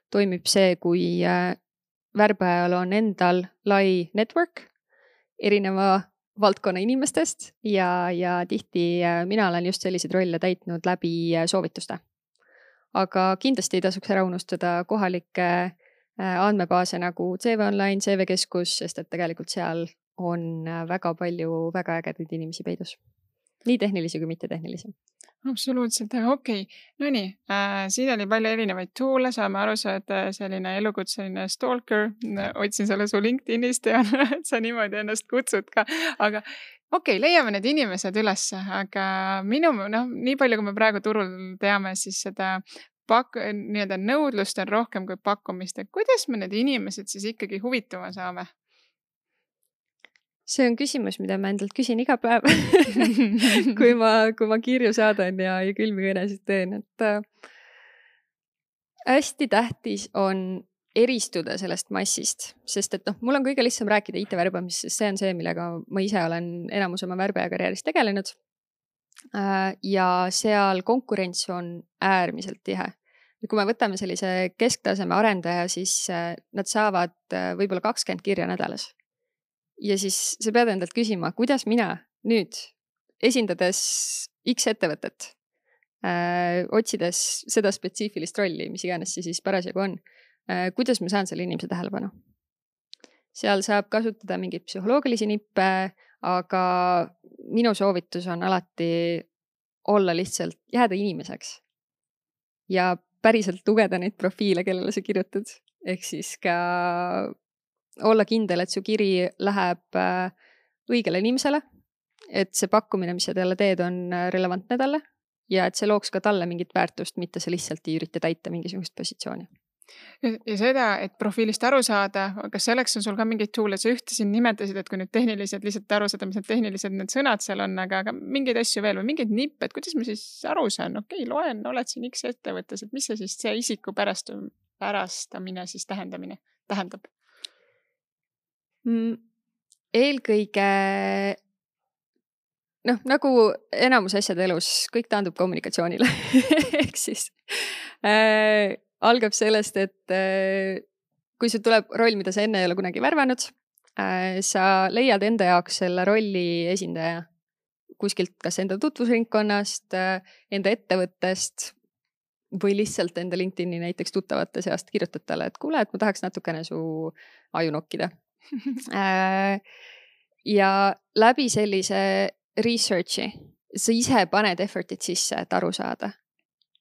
toimib see, kui värbajal on endal lai network erineva valdkonna inimestest ja tihti mina olen just selliseid rolle täitnud läbi soovituste. Aga kindlasti ei tasuks ära unustada kohalikke andmebaase nagu CV Online, CV Keskus, sest et tegelikult seal on väga palju väga ägedaid inimesi peidus. Nii tehnilisi kui mittetehnilisi. Absoluutselt, okei. No nii, siin oli palju erinevaid toole, saame aru, sa oled selline elukutseline stalker, otsin selle su LinkedInist ja sa niimoodi ennast kutsud ka, aga okei, leiame need inimesed üles, aga nii palju, kui me praegu turul teame, siis seda nii-öelda nõudlust on rohkem kui pakkumist. Kuidas me need inimesed siis ikkagi huvituma saame? see on küsimus, mida ma endalt küsin iga päev kui ma kirju saadan ja külmi kõnesid teen, et hästi tähtis on eristuda sellest massist, sest et mul on kõige lihtsam rääkida IT-värbamisest, sest see on see, millega ma ise olen enamus oma värbaja karjääris tegelenud. Ja seal konkurents on äärmiselt tihe. Kui me võtame sellise kesktaseme arendaja, siis nad saavad võib-olla 20 kirja nädalas. Ja siis sa pead endalt küsima, kuidas mina nüüd esindades X ettevõtet, otsides seda spetsiifilist rolli, mis iganes see siis parasjagu on, kuidas ma saan selle inimese tähelepanu. Seal saab kasutada mingeid psühholoogilisi nippe, aga minu soovitus on alati olla lihtsalt, jääda inimeseks ja päriselt lugeda neid profiile, kellele sa kirjutad. Ehk siis ka olla kindel, et su kiri läheb õigele inimesele, et see pakkumine, mis sa talle teed, on relevantne talle ja et see looks ka talle mingit väärtust, mitte sa lihtsalt ei ürita täita mingisugust positsiooni. Ja seda, et profiilist aru saada, kas selleks on sul ka mingeid toole, sa ühte siin nimetasid, et kui nüüd tehnilised, lihtsalt aru saada, mis need tehnilised need sõnad seal on, aga mingeid asju veel või mingeid nippe, et kuidas ma siis aru saan, loen, oled siin X ettevõttes, et mis see siis see isiku pärastamine siis tähendab? Eelkõige, nagu enamus asjade elus, kõik taandub kommunikatsioonile. Ehk siis algab sellest, et kui sul tuleb roll, mida sa enne ei ole kunagi värvanud, sa leiad enda jaoks selle rolli esindaja kuskilt kas enda tutvusringkonnast, enda ettevõttest või lihtsalt enda LinkedIni näiteks tuttavate seast kirjutad talle, et kuule, et ma tahaks natukene su aju nokkida. Ja läbi sellise researchi sa ise paned effort'id sisse, et aru saada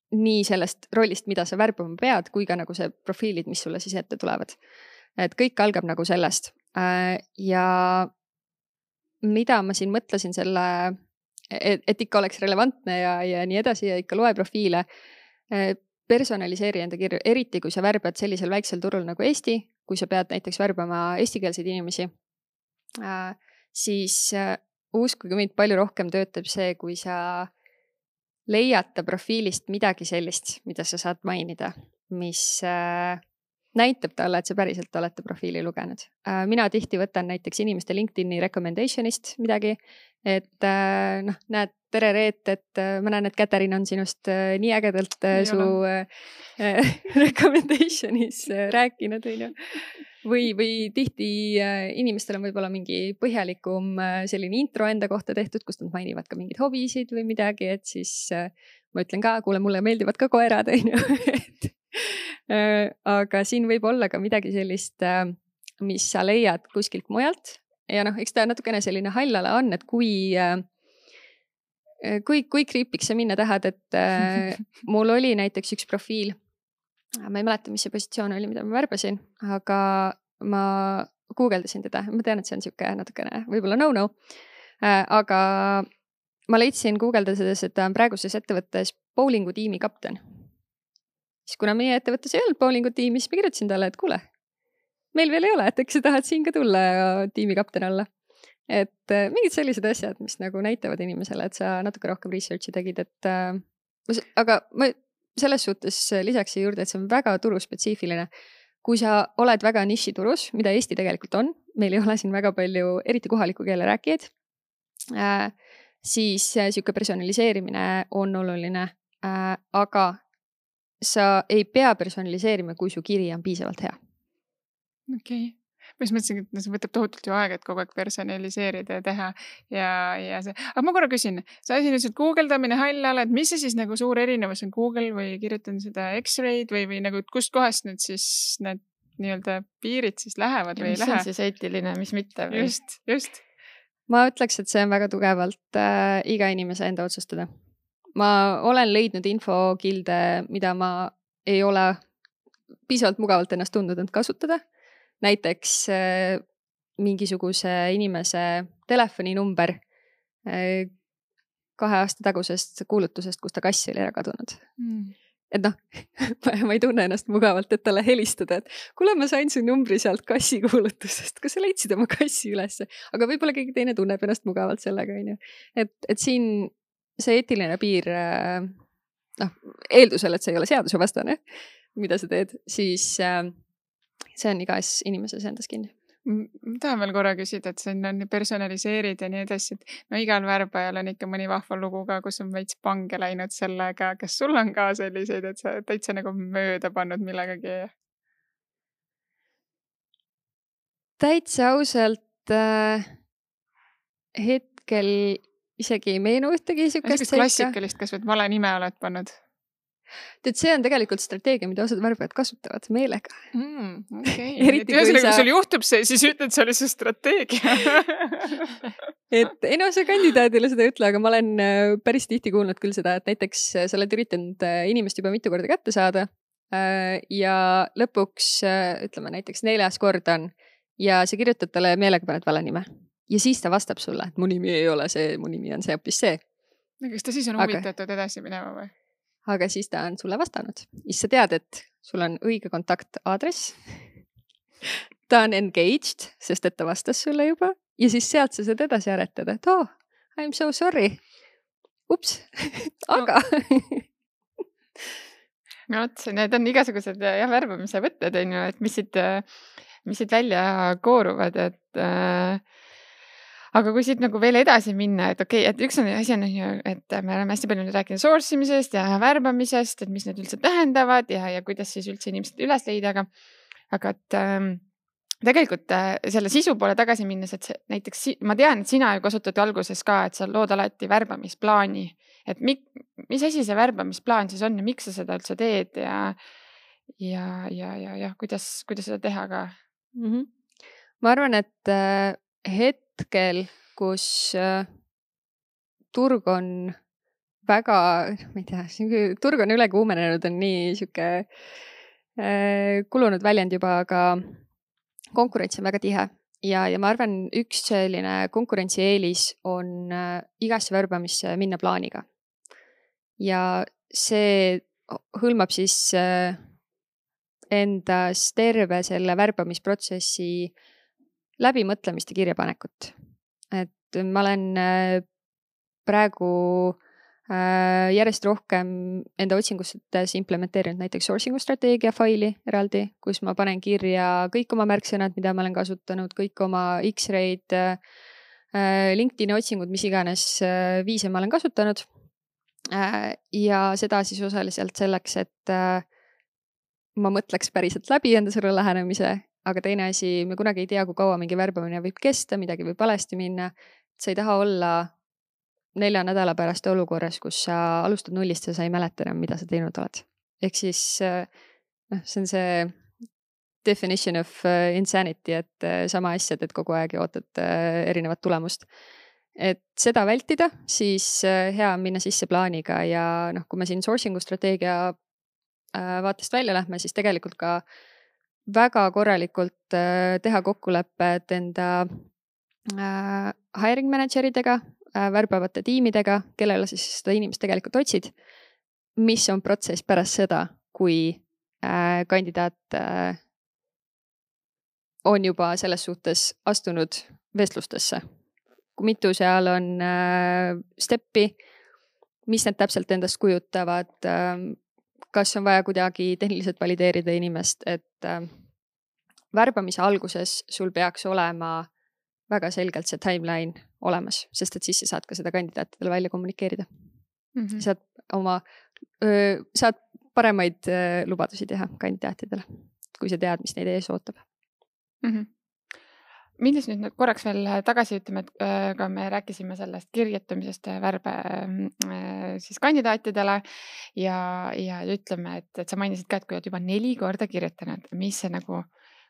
nii sellest rollist, mida sa värbama pead, kui ka nagu see profiilid, mis sulle siis ette tulevad. Et kõik algab nagu sellest. Ja mida ma siin mõtlesin selle, et ikka oleks relevantne ja nii edasi ja ikka loe profiile, personaliseeri enda kirju, eriti kui sa värbad sellisel väiksel turul nagu Eesti, kui sa pead näiteks värbama eestikeelseid inimesi, siis uskuge mind, palju rohkem töötab see, kui sa leiata profiilist midagi sellist, mida sa saad mainida, mis näitab talle, et sa päriselt olete profiili lugenud. Mina tihti võtan näiteks inimeste LinkedIni recommendationist midagi, et näed, tere Reet, et ma näen, et Katariin on sinust nii ägedalt su recommendationis rääkinud, või tihti inimestel on võib-olla mingi põhjalikum selline intro enda kohta tehtud, kus nad mainivad ka mingeid hobisid või midagi, et siis ma ütlen ka, kuule, mulle meeldivad ka koerad, aga siin võib olla ka midagi sellist, mis sa leiad kuskilt mujalt ja eks ta natukene selline hallala on, et kui kriipiks sa minna tahad, et mul oli näiteks üks profiil, ma ei mäleta, mis see positsioon oli, mida ma värbasin, aga ma guugeldasin teda, ma tean, et see on siuke natukene võib-olla no, aga ma leidsin guugeldades, et ta on praeguses ettevõttes bowlingu tiimi kapten. Siis kuna meie ettevõttes ei olnud bowlingu tiimi, siis ma kirjutasin talle, et kuule, meil veel ei ole, et eks sa tahad siin ka tulla ja tiimi kapten olla. Et mingid sellised asjad, mis nagu näitavad inimesele, et sa natuke rohkem researchi tegid, et aga ma selles suhtes lisaks juurde, et see on väga turuspetsiifiline. Kui sa oled väga nišiturus, mida Eesti tegelikult on, meil ei ole siin väga palju, eriti kohaliku keele rääkijaid, siis siuke personaliseerimine on oluline, aga sa ei pea personaliseerima, kui su kiri on piisavalt hea. Okei. Ma just mõtlesin, et see võtab tohutult ju aega, et kogu aeg personaliseerida ja teha ja see. Aga ma korra küsin, sa siin ütlesid guugeldamine hallala, et mis see siis nagu suur erinevus on Google või kirjutan seda X-ray'd või nagu kust kohast nüüd siis need nii-öelda piirid siis lähevad või ei lähe? Mis on siis eetiline, mis mitte? Või? Just. Ma ütleks, et see on väga tugevalt iga inimese enda otsustada. Ma olen leidnud infokilde, mida ma ei ole piisavalt mugavalt ennast tundnud end kasutada. Näiteks mingisuguse inimese telefoninumber 2 aasta tagusest kuulutusest, kus ta kass oli ära kadunud. et noh, ma ei tunne ennast mugavalt, et talle helistada, et kuule, ma sain su numbri sealt kassi kuulutusest, kas sa leidsid oma kassi ülesse, aga võib-olla keegi teine tunneb ennast mugavalt sellega, on ju. Et siin see eetiline piir, noh, eeldusel, et see ei ole seadusevastane, mida sa teed, siis see on igas inimeses endas kinni. Ma tahan veel korra küsida, et siin on personaliseerid ja nii edasi, et no igal värbajal on ikka mõni vahva lugu ka, kus on veits pange läinud sellega, kas sul on ka selliseid, et sa täitsa nagu mööda pannud millegagi? Täitsa ausalt hetkel isegi ei meenu ühtegi sükast seika. Klassikalist, kas või vale nime oled pannud? Tead, see on tegelikult strateegia, mida osad värbajad kasutavad meelega. Okay. Ühesõnaga, kui sul juhtub see, siis ütled, see oli see strateegia. Et ei no, see kandidaadile seda ei ütle, aga ma olen päris tihti kuulnud küll seda, et näiteks sa oled üritanud inimest juba mitu korda kätte saada ja lõpuks ütleme näiteks 4. kord on ja sa kirjutad talle meelega paned vale nime. Ja siis ta vastab sulle, et mu nimi ei ole see, mu nimi on see hoopis see. Kas ta siis on huvitatud edasi minema või? Aga siis ta on sulle vastanud. Siis sa tead, et sul on õige kontaktaadress. Ta on engaged, sest et ta vastas sulle juba. Ja siis sealt sa saad edasi aretada, et I'm so sorry. Ups, aga. No, need on igasugused värbamise võtted, et mis siit välja kooruvad, et aga kui siit nagu veel edasi minna, et okei, et üks asi on, et me oleme hästi palju rääkinud source imisest ja värbamisest, et mis need üldse tähendavad ja kuidas siis üldse inimesed üles leida, aga et tegelikult selle sisu poole tagasi minnes, et näiteks ma tean, et sina ju kasutad alguses ka, et sa lood alati värbamisplaani, et mis asi see värbamisplaan siis on ja miks sa seda üldse teed ja kuidas seda teha ka? Ma arvan, et hetkel, kus turg on väga, ma ei tea, turg on üle kuumenenud, on nii siuke kulunud väljend juba, aga konkurents on väga tihe ja ma arvan, üks selline konkurentsieelis on igasse värbamisse minna plaaniga. Ja see hõlmab siis endas terve selle värbamisprotsessi läbimõtlemist ja kirjapanekut. Et ma olen praegu järjest rohkem enda otsingustes implementeerinud näiteks sourcing'u strateegia faili eraldi, kus ma panen kirja kõik oma märksõnad, mida ma olen kasutanud, kõik oma X-ray'd, LinkedIni otsingud, mis iganes viise ma olen kasutanud. Ja seda siis osaliselt selleks, et ma mõtleks päriselt läbi enda selle lähenemise. Aga teine asi, me kunagi ei tea, kui kaua mingi värbamine võib kesta, midagi võib valesti minna. Sa ei taha olla 4 nädala pärast olukorras, kus sa alustad nullist ja sa ei mäleta enam, mida sa teinud oled. Ehk siis see on see definition of insanity, et sama asja teed kogu aeg ja ootad erinevat tulemust. Et seda vältida, siis hea on minna sisse plaaniga ja kui me siin sourcing'u strateegia vaatest välja lähme, siis tegelikult ka väga korralikult teha kokkulepped enda hiring manageridega, värbavate tiimidega, kellele siis seda inimest tegelikult otsid, mis on protsess pärast seda, kui kandidaat on juba selles suhtes astunud vestlustesse. Kui mitu seal on steppi, mis need täpselt endast kujutavad, kas on vaja kuidagi tehniliselt valideerida inimest, et värbamise alguses sul peaks olema väga selgelt see timeline olemas, sest et siis sa saad ka seda kandidaatidele välja kommunikeerida. Saad paremaid lubadusi teha kandidaatidele, kui sa tead, mis neid ees ootab. Minnes nüüd korraks veel tagasi ütleme, et ka me rääkisime sellest kirjutamisest värbe siis kandidaatidele ja ütleme, et sa mainisid ka, et kui oled juba 4 korda kirjutanud, mis see nagu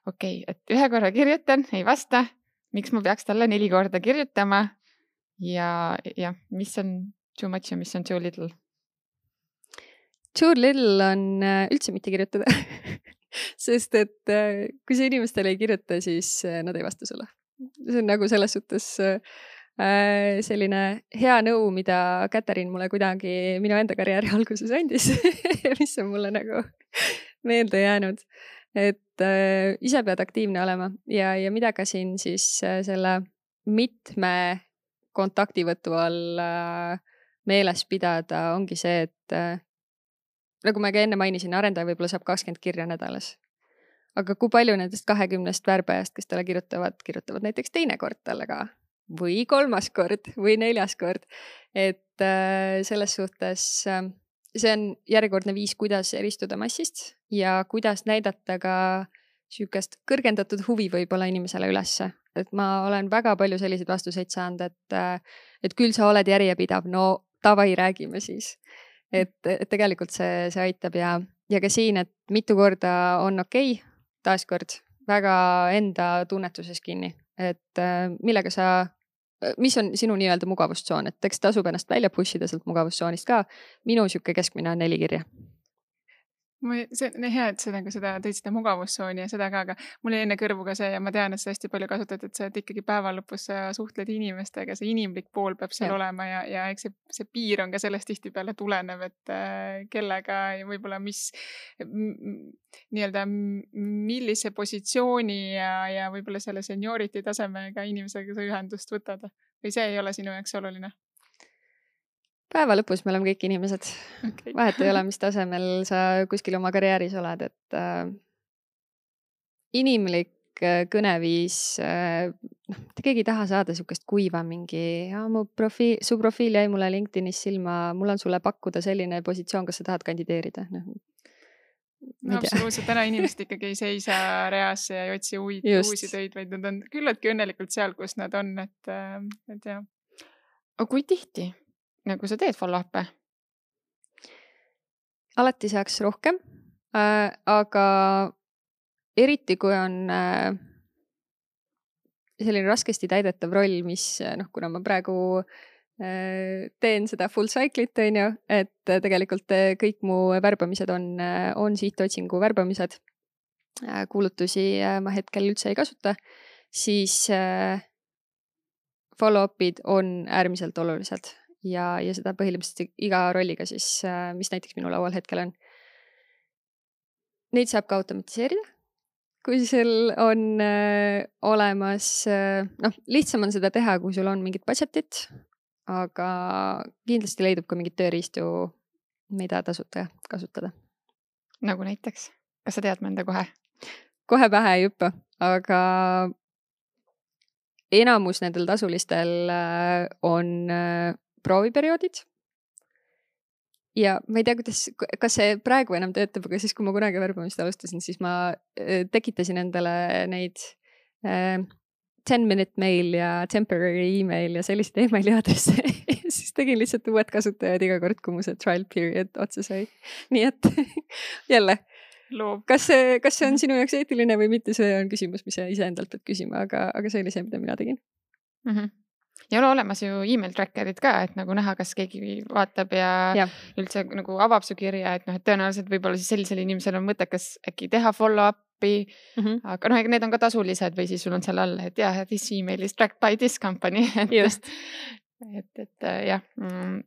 okei, et 1 korra kirjutan, ei vasta, miks ma peaks talle 4 korda kirjutama ja mis on too much ja mis on too little? Too little on üldse mitte kirjutada. Sest et kui sa inimestele ei kirjuta, siis nad ei vasta sulle. See on nagu selles suhtes selline hea nõu, mida Katariin mulle kuidagi minu enda karjääri alguses andis mis on mulle nagu meelde jäänud, et ise pead aktiivne olema ja mida ka siin siis selle mitme kontaktivõtu all meeles pidada ongi see, et nagu ma ka enne mainisin, arendaja võib-olla saab 20 kirja nädalas. Aga kui palju nendest 20 värbajast, kes talle kirjutavad näiteks teine kord talle ka või 3. kord või 4. kord. Et selles suhtes see on järjekordne viis, kuidas eristuda massist ja kuidas näidata ka süükest kõrgendatud huvi võib-olla inimesele ülesse. Et ma olen väga palju selliseid vastuseid saanud, et küll sa oled järjepidav, no tavai räägime siis. Et tegelikult see aitab ja ka siin, et mitu korda on okei, taaskord väga enda tunnetuses kinni, et millega mis on sinu nii-öelda mugavustsoon, et eks tasub ennast välja pushida sealt mugavustsoonist ka. Minu siuke keskmine on 4 kirja. See on hea, et sa seda tõid seda mugavustsooni ja seda ka, aga mul jäi enne kõrvu ka see ja ma tean, et sa hästi palju kasutad, et sa ikkagi päeva lõpus sa suhtled inimestega, see inimlik pool peab seal olema ja eks see piir on ka sellest tihtipeale tulenev, et kellega ja võib-olla nii-öelda millise positsiooni ja võib-olla selle seniority tasemega inimesega sa ühendust võtad või see ei ole sinu jaoks oluline? Päeva lõpus me oleme kõik inimesed. Okay. Vahet ei ole, mis tasemel sa kuskil oma karjääris oled, et inimlik kõneviis, keegi ei taha saada sukest kuiva mingi, su profiil jäi mulle LinkedInis silma, mul on sulle pakkuda selline positsioon, kas sa tahad kandideerida? No, absoluutselt, täna inimesed ikkagi ei seisa reasse ja ei otsi uusi töid, vaid nad on küllaltki õnnelikult seal, kus nad on, et jah. Aga kui tihti? Nagu sa teed follow-up'e? Alati saaks rohkem, aga eriti kui on selline raskesti täidetav roll, mis kuna ma praegu teen seda full cycle'it, et tegelikult kõik mu värbamised on sihtotsingu värbamised, kuulutusi ma hetkel üldse ei kasuta, siis follow-up'id on äärmiselt olulised. Ja seda põhimõtteliselt iga rolliga siis, mis näiteks minu laual hetkel on. Neid saab ka automatiseerida, kui sul on olemas, lihtsam on seda teha, kui sul on mingit budgetit, aga kindlasti leidub ka mingit tööriistu, mida tasuta kasutada. Nagu näiteks? Kas sa tead mõnda kohe? Kohe pähe ei hüppa, aga enamus nendel tasulistel on prooviperioodid ja ma ei tea, kas see praegu enam töötab, aga siis, kui ma kunagi värbamist alustasin, siis ma tekitasin endale neid 10-minute mail ja temporary email ja sellised emaili aadresse siis tegin lihtsalt uued kasutajad iga kord, kui mu see trial period otsa sai. Nii et jälle, kas see on sinu jaoks eetiline või mitte, see on küsimus, mis sa ise endalt pead küsima, aga see oli see, mida mina tegin. Ja ole olemas ju email trackerid ka, et nagu näha, kas keegi vaatab ja üldse nagu avab su kirja, et tõenäoliselt võib-olla siis sellisel inimesel on mõttekas äkki teha follow-up'i, aga need on ka tasulised või siis sul on seal all, et jah, this email is tracked by this company. et jah,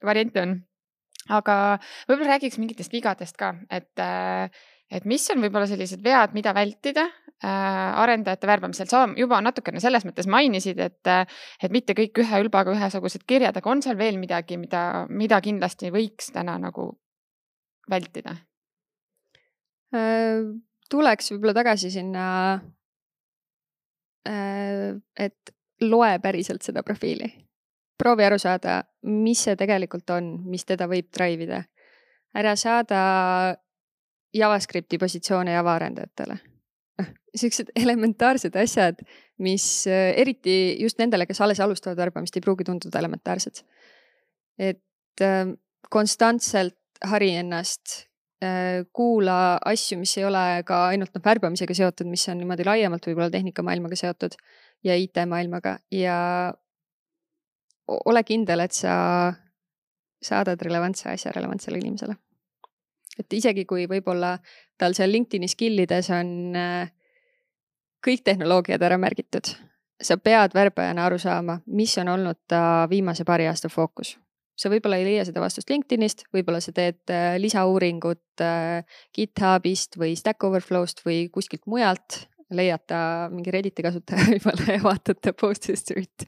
variante on. Aga võib-olla räägiks mingitest vigadest ka, et mis on võib-olla sellised vead, mida vältida arendajate värbamisel. Sa juba natukene selles mõttes mainisid, et mitte kõik ühe ülbaga ühesugused kirjad, aga on seal veel midagi, mida kindlasti võiks täna nagu vältida? Tuleks võib-olla tagasi sinna, et loe päriselt seda profiili. Proovi aru saada, mis see tegelikult on, mis teda võib drive'ida. Ära saada JavaScripti positsioone Java-arendajatele. Sellised elementaarsed asjad, mis eriti just nendele, kes alles alustavad värbamist, ei pruugi tunduda elementaarsed. Et konstantselt hari ennast, kuula asju, mis ei ole ka ainult värbamisega seotud, mis on niimoodi laiemalt võib-olla tehnikamaailmaga seotud ja IT-maailmaga ja ole kindel, et sa saadad relevantse asja relevantsele inimesele. Et isegi kui võib-olla tal seal LinkedIni skillides on kõik tehnoloogiad ära märgitud, sa pead värbajana aru saama, mis on olnud ta viimase paari aasta fookus. Sa võib-olla ei leia seda vastust LinkedInist, võib-olla sa teed lisauuringut GitHubist või Stack Overflow'st või kuskilt mujalt, leiad ta mingi Redditi kasutaja võib-olla ja vaatad ta post history't.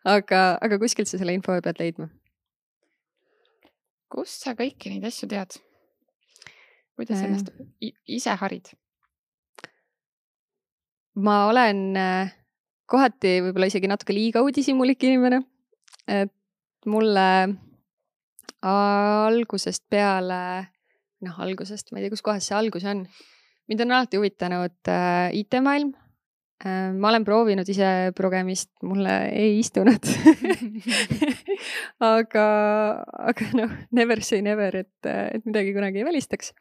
aga kuskilt sa selle info pead leidma. Kust sa kõiki neid asju tead? Kuidas ennast ise harid? Ma olen kohati võib-olla isegi natuke liiga uudishimulik inimene, et mulle algusest peale, algusest, ma ei tea, kus kohas see algus on. Mind on alati huvitanud IT-maailm. Ma olen proovinud ise progemist, mulle ei istunud. aga never say never, et midagi kunagi ei välistaks.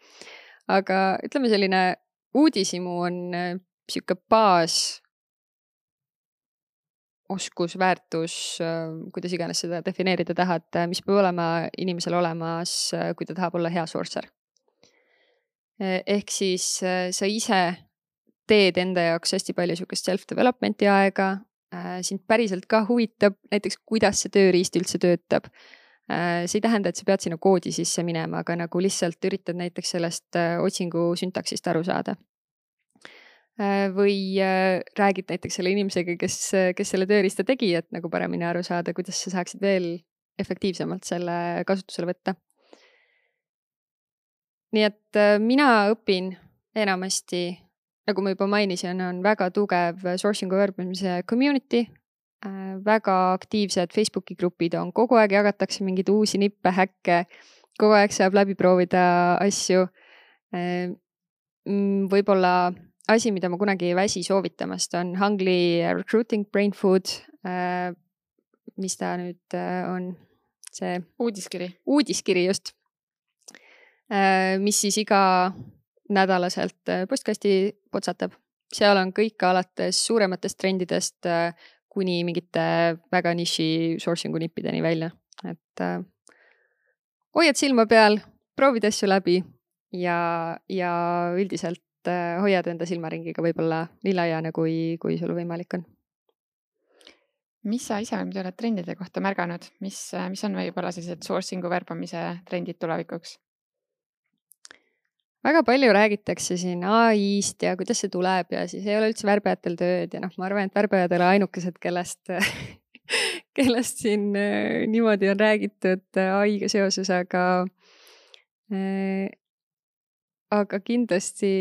Aga ütleme selline uudishimu on siuke baas oskus, väärtus, kuidas iganes seda defineerida tahad, mis peab olema inimesel olemas, kui ta tahab olla hea sourcer. Ehk siis sa ise teed enda jaoks hästi palju siukest self-developmenti aega, sind päriselt ka huvitab näiteks, kuidas see tööriist üldse töötab. See ei tähenda, et sa pead sinna koodi sisse minema, aga nagu lihtsalt üritad näiteks sellest otsingu syntaksist aru saada. Või räägid näiteks selle inimesega, kes selle tööriista tegi, et nagu paremini aru saada, kuidas sa saaksid veel efektiivsemalt selle kasutusele võtta. Nii et mina õpin enamasti, nagu ma juba mainisin, on väga tugev sourcing'u värbamise community, väga aktiivsed Facebooki grupid on, kogu aeg jagatakse mingeid uusi nippe, häkke, kogu aeg saab läbi proovida asju. Võib-olla asi, mida ma kunagi ei väsi soovitamast, on Hungly Recruiting Brain Food, mis ta nüüd on, see uudiskiri just, mis siis iga nädalaselt postkasti potsatab. Seal on kõik alates suurematest trendidest kuni mingite väga niši sourcing'u nippideni välja. Et hoiad silma peal, proovid asju läbi ja üldiselt hoiad enda silmaringiga võib-olla nii laiana, kui sul võimalik on. Mis sa ise oled trendide kohta märganud? Mis on võib-olla sellised sourcing'u värbamise trendid tulevikuks? Väga palju räägitakse siin AI-st ja kuidas see tuleb ja siis ei ole üldse värbajatel tööd ja ma arvan, et värbajad ei ole ainukesed, kellest siin niimoodi on räägitud AI-ga seoses, aga kindlasti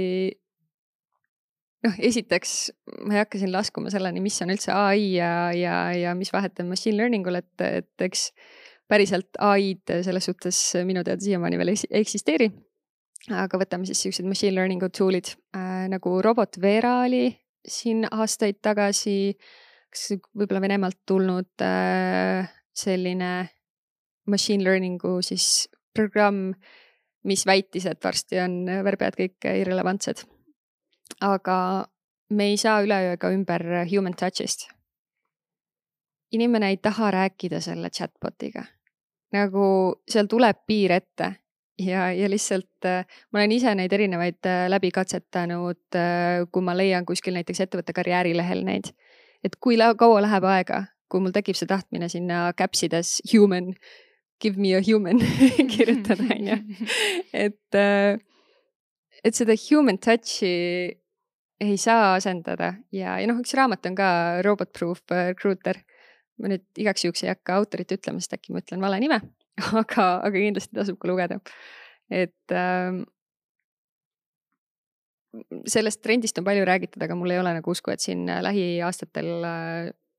esiteks ma ei hakka siin laskuma selleni, mis on üldse AI ja mis vahet on machine learningul, et eks päriselt AI-d selles suhtes minu teada siiamaani veel eksisteeri. Aga võtame siis sellised machine learningu tool'id nagu Robot Vera oli siin aastaid tagasi, võib-olla Venemaalt tulnud selline machine learningu siis programm, mis väitis, et varsti on värbajad kõik irrelevantsed. Aga me ei saa üleöö ka ümber human touch'ist. Inimene ei taha rääkida selle chatbotiga. Nagu seal tuleb piir ette. Ja lihtsalt ma olen ise neid erinevaid läbi katsetanud, kui ma leian kuskil näiteks ettevõtte karjäärilehel neid. Et kui kaua läheb aega, kui mul tekib see tahtmine sinna käpsides human, give me a human kirjutada, on ju. Et seda human touch'i ei saa asendada ja üks raamat on ka Robot Proof Recruiter. Ma nüüd igaks juhuks ei hakka autorit ütlema, sest äkki ma ütlen vale nime. Aga kindlasti tasub ka lugeda. Et sellest trendist on palju räägitud, aga mul ei ole nagu usku, et siin lähiaastatel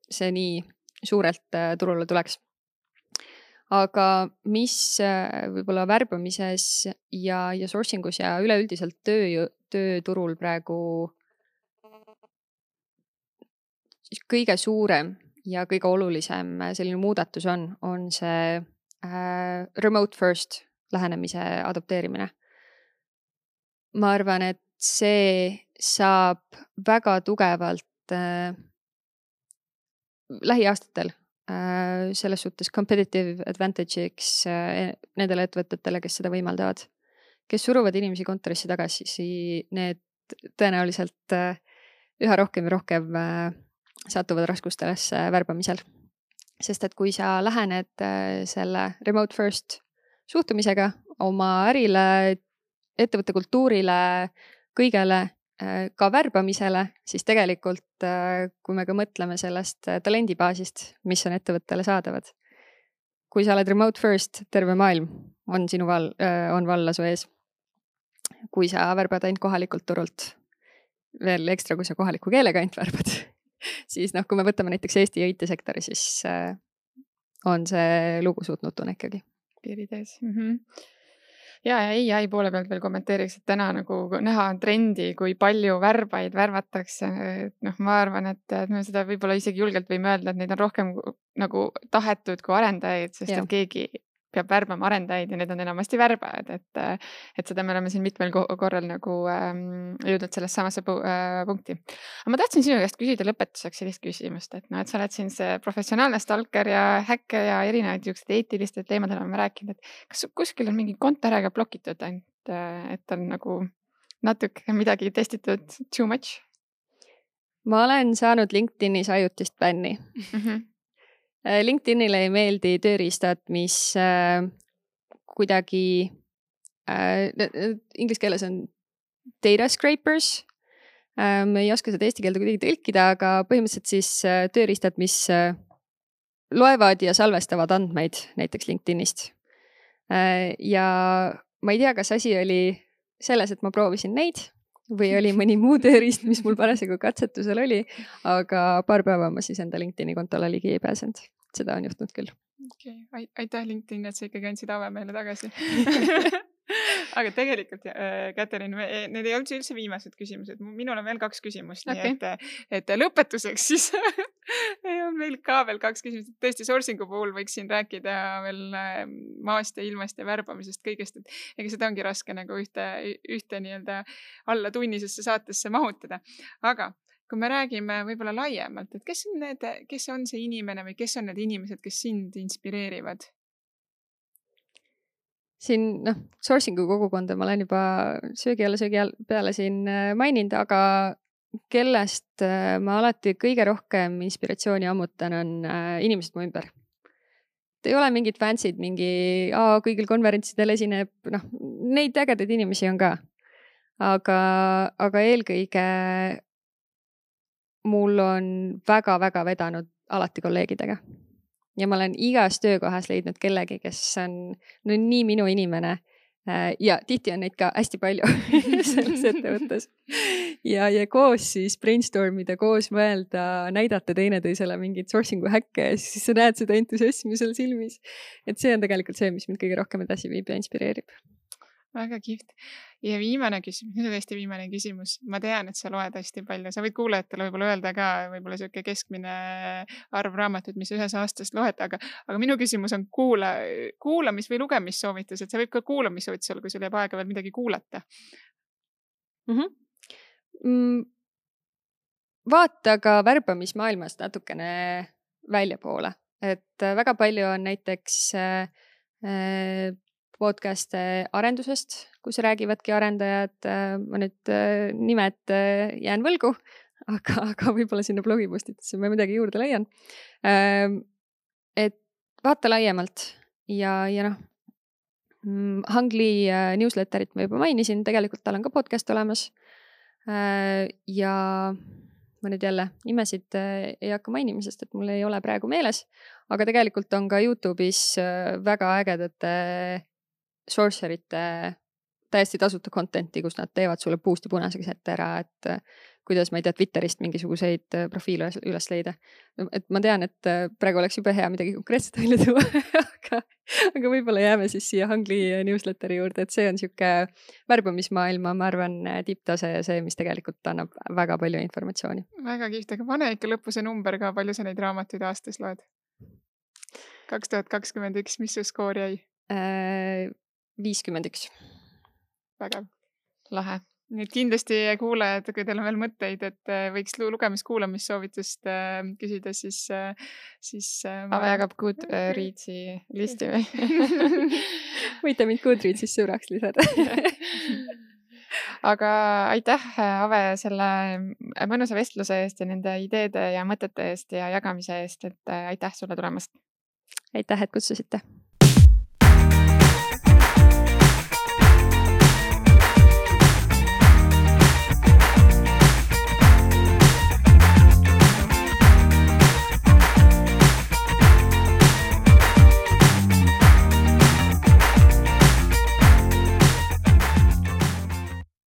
see nii suurelt turule tuleks. Aga mis võib-olla värbamises ja sourcingus ja üleüldiselt tööturul praegu kõige suurem ja kõige olulisem selline muudatus on see remote first lähenemise adopteerimine. Ma arvan, et see saab väga tugevalt lähiaastatel selles suhtes competitive advantage'iks nendele ettevõtetele, kes seda võimaldavad. Kes suruvad inimesi kontorisse tagasi, need tõenäoliselt üha rohkem ja rohkem satuvad raskustesse värbamisel. Sest et kui sa lähened selle remote first suhtumisega oma ärile, ettevõtte kultuurile, kõigele, ka värbamisele, siis tegelikult kui me ka mõtleme sellest talendibaasist, mis on ettevõttele saadavad. Kui sa oled remote first, terve maailm on sinu on valla su ees. Kui sa värbad ainult kohalikult turult, veel ekstra, kui sa kohaliku keelega ainult värbad, siis kui me võtame näiteks Eesti IT-sektori, siis on see lugu suht nutune ikkagi. Piirid ees. Ja AI poole pealt veel kommenteeriks, et täna nagu näha on trendi, kui palju värbaid värvatakse. Ma arvan, et me seda võib-olla isegi julgelt võime öelda, et neid on rohkem nagu tahetud kui arendajaid, sest et keegi peab värbama arendajaid ja need on enamasti värbajad, et seda me oleme siin mitmel korral nagu jõudnud sellest samasse punkti. Aga ma tahtsin sinu käest küsida lõpetuseks sellist küsimust, et sa oled siin see professionaalne stalker ja häkke ja erinevaid juhused eetilistest teemadel oleme rääkinud, et kas kuskil on mingi konto ära ka blokitud ainult, et on nagu natuke midagi testitud too much? Ma olen saanud LinkedInis ajutist bänni. LinkedInile ei meeldi tööriistad, mis kuidagi inglise keeles on data scrapers. Me ei oska seda eesti keelde kuidagi tõlkida, aga põhimõtteliselt siis tööriistad, mis loevad ja salvestavad andmeid näiteks LinkedInist. Ja ma ei tea, kas asi oli selles, et ma proovisin neid või oli mõni muu tööriist, mis mul parasjagu katsetusel oli, aga paar päeva ma siis enda LinkedIni kontole ligi ei pääsenud. Seda on juhtunud küll. Okay. Aitäh LinkedIn, et sa ikkagi andsid ave meile tagasi. Aga tegelikult, Katariin, need ei olnud üldse viimased küsimused. Minul on veel 2 küsimust, nii et lõpetuseks siis on meil ka veel 2 küsimust. Tõesti, sourcing'u puhul võiksin rääkida veel maast ja ilmast ja värbamisest kõigest, et ega seda ongi raske nagu ühte nii-öelda alla tunnisesse saatesse mahutada. Aga kui me räägime võib-olla laiemalt, et kes on see inimene või kes on need inimesed, kes sind inspireerivad? Siin, sourcing'u kogukonda ma olen juba söögi peale siin maininud, aga kellest ma alati kõige rohkem inspiratsiooni ammutan on inimesed mu ümber. Ei ole mingid fansid, kõigil konverentsidel esineb, neid ägedaid inimesi on ka. Aga eelkõige mul on väga-väga vedanud alati kolleegidega. Ja ma olen igas töökohas leidnud kellegi, kes on nii minu inimene. Ja tihti on neid ka hästi palju selles ettevõttes. Ja koos siis brainstormida, koos mõelda, näidata teineteisele mingit sourcing'u häkke ja siis sa näed seda entusiasmi seal silmis. Et see on tegelikult see, mis mind kõige rohkem edasi viib ja inspireerib. Väga kihvt. Ja viimane küsimus, nüüd on hästi viimane küsimus. Ma tean, et sa loed hästi palju. Sa võid kuulajatele võib-olla öelda ka võib-olla selline keskmine arv raamatut, mis ühes aastast loed, aga minu küsimus on kuulamis- või lugemissoovitus, et sa võib ka kuulamissoovitus olla, kui sul jääb aega veel midagi kuulata. Vaata ka värbamismaailmast natukene väljapoole. Et väga palju on näiteks podcast'e arendusest, kus räägivadki arendajad. Ma nüüd nimed jään võlgu, aga võib-olla sinna blogipostitusse ma midagi juurde leian. Et vaata laiemalt ja Hangli newsletterit ma juba mainisin, tegelikult tal on ka podcast olemas. Ja ma nüüd jälle nimesid ei hakka mainima, sest et mul ei ole praegu meeles, aga tegelikult on ka YouTube'is väga ägedate sourcerite täiesti tasuta contenti, kus nad teevad sulle puust ja punaseks ette ära, et kuidas ma ei tea Twitterist mingisuguseid profiile üles leida. Et ma tean, et praegu oleks juba hea midagi konkreetset välja tuua, aga võib-olla jääme siis siia Hangli newsletteri juurde, et see on siuke värbamismaailma, ma arvan, tipptase ja see, mis tegelikult annab väga palju informatsiooni. Väga kihvt, aga pane ikka lõppu see number ka, palju sa neid raamatuid aastas loed? 2021, mis su skoor jäi? 51. Vägev. Lahe. Nüüd kindlasti kuulajad, kui teil on veel mõtteid, et võiks lugemis-kuulamissoovitust küsida, siis Ave jagab Goodreadsi listi või? Võite mind Goodreadsis sõbraks lisada. aga aitäh, Ave, selle mõnusa vestluse eest ja nende ideede ja mõtete eest ja jagamise eest, et aitäh sulle tulemast. Aitäh, et kutsusite.